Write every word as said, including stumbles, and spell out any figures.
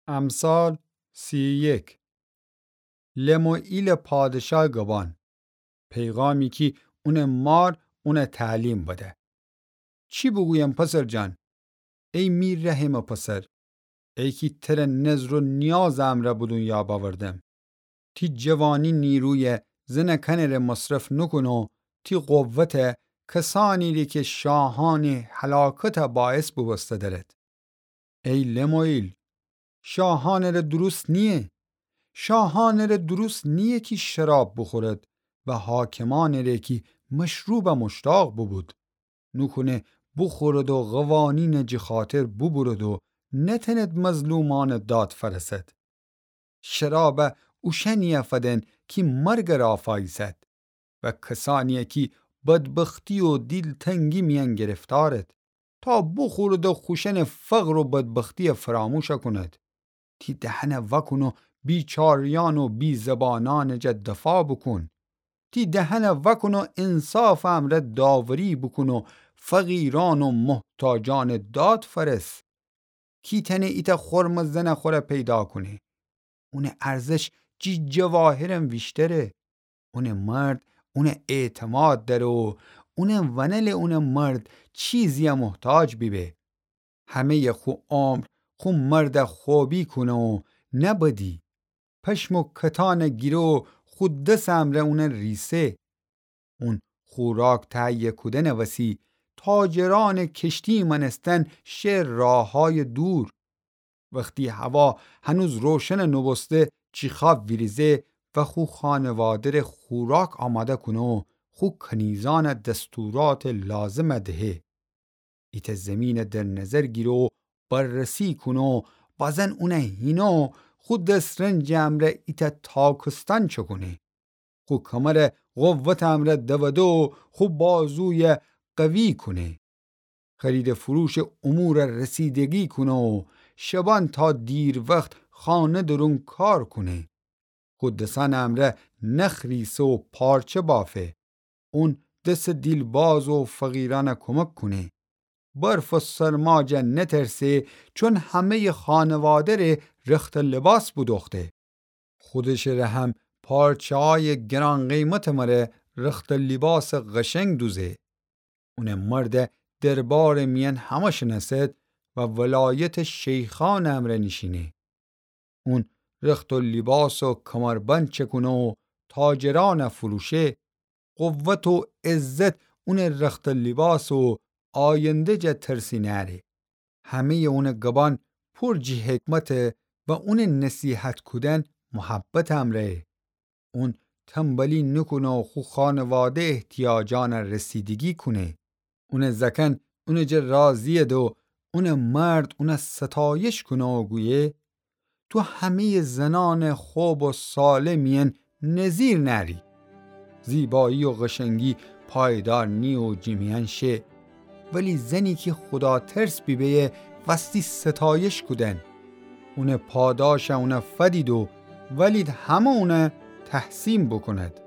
امثال سی و یک. لموئیلٚ پادشاه گبان. پیغامی کی اونٚ مار اونَ تعلیم بده. چی بوگویم پسر جان؟ ای می رحمٚ پسر، ای کی تره نذر و نیازٚ امرأ به دونیا بأوردم. تی جوانی نیرویَ زنأکأنٚ ره مصرف نوکون و تی قوتَ کسأنی ره کی شاهأنٚ هلاکتَ باعث بوبوسته درد. ای لموئیل، شاهأنٚ ره درست نییه. شاهأنٚ ره درست نییه کی شراب بوخورد و حاکمأنٚ ره کی مشروبَ مشتاق بوبود. نوکونه بوخورد و قوانینَ جٚه خاطر بوبورد و نتأند مظلومأنٚ داد فأرسد. شرابَ اوشأنیَ فدن کی مرگَ رافاییسد و کسأنیَ کی بدبختی و دیلتنگی میأن گرفتارد، تا بوخورد و خوشأنٚ فقر و بدبختیَ فراموش کونید. تی دهنَ وأکون و بیچاره‌یأن و بی‌زبانأنٚ جا دفاع بوکون. تی دهنَ وأکون و انصافٚ امرأ داوری بوکون و فقیرأن و محتاجأنٚ داد فأرس. کی تأنه ایتأ خرمٚ زنٚ خوره پیدا کونه؟ اونٚ ارزش جٚه جواهرم ویشتره. اونٚ مرد اونَ اعتماد دأره و اونٚ ونله اونٚ مرد چیزیَ محتاج بیبه. همه‌یٚ خو عمر خو مردَ خوبی کونه و نه بدی. پشم و کتانَ گیره و خو دسٚ امرأ اونَ ریسه. اون خوراک تهیه کودنٚ وسی تاجرأنٚ کشتی مأنستن شه راهه‌یٚ دور. وختی هوا هنوز روشن نوبوسته، چیخا ویریزه و خو خانواده ره خوراک آماده کونه و خو کنیزأنَ دستوراتٚ لازمَ دهه. ایتأ زیمینَ در نظر گیره و بررسی کونه و بازن اونَ هینه و خو دس‌رنجٚ امرأ ایتأ تاکستأن چکونه. خو کمرَ قوتٚ امرأ دوده و خو بازویَ قوی کونه. خرید و فروشٚ امورَ رسیدگی کونه و شبأن تا دیروخت خانه درون کار کونه. خو دسأنٚ امرأ نخ ریسه و پارچه بافه. اون دسٚ دیلباز و فقیرأنَ کمک کونه. برف و سرما جا نترسه، چون همه‌یٚ خانواده ره رخت و لباس بودوخته. خودشٚ ره هم پارچه‌هایٚ گران‌قیمتٚ مره رخت و لیباسٚ قشنگ دوزه. اونٚ مرد دربارٚ میأن همه شنأسد و ولایتٚ شیخأنٚ امرأ نیشینه. اون رخت و لیباس و کمربند چکونه و تاجرأنَ فروشه. قوت و عزت اونٚ رخت و لیباس و آینده جا ترسی نأره. همه‌یٚ اونٚ گبأن پور جٚه حکمته و اونٚ نصیحت کودن محبتٚ امرأیه. اون تنبلی نوکونه و خو خانواده احتیاجأنَ رسیدگی کونه. اونٚ زأکأن اونٚ جا راضییده و اونٚ مرد اونَ ستایش کونه و گویه: تو همه‌یٚ زنأنٚ خوب و صالح میأن نظیر نأری. زیبایی و قشنگی پایدار نییه و جٚه میأن شه. ولی زنی کی خوداترس بیبه‌یه وستی ستایش کودن. اونٚ پاداشَ اونَ فدید و ولید همه اونَ تحسین بوکوند.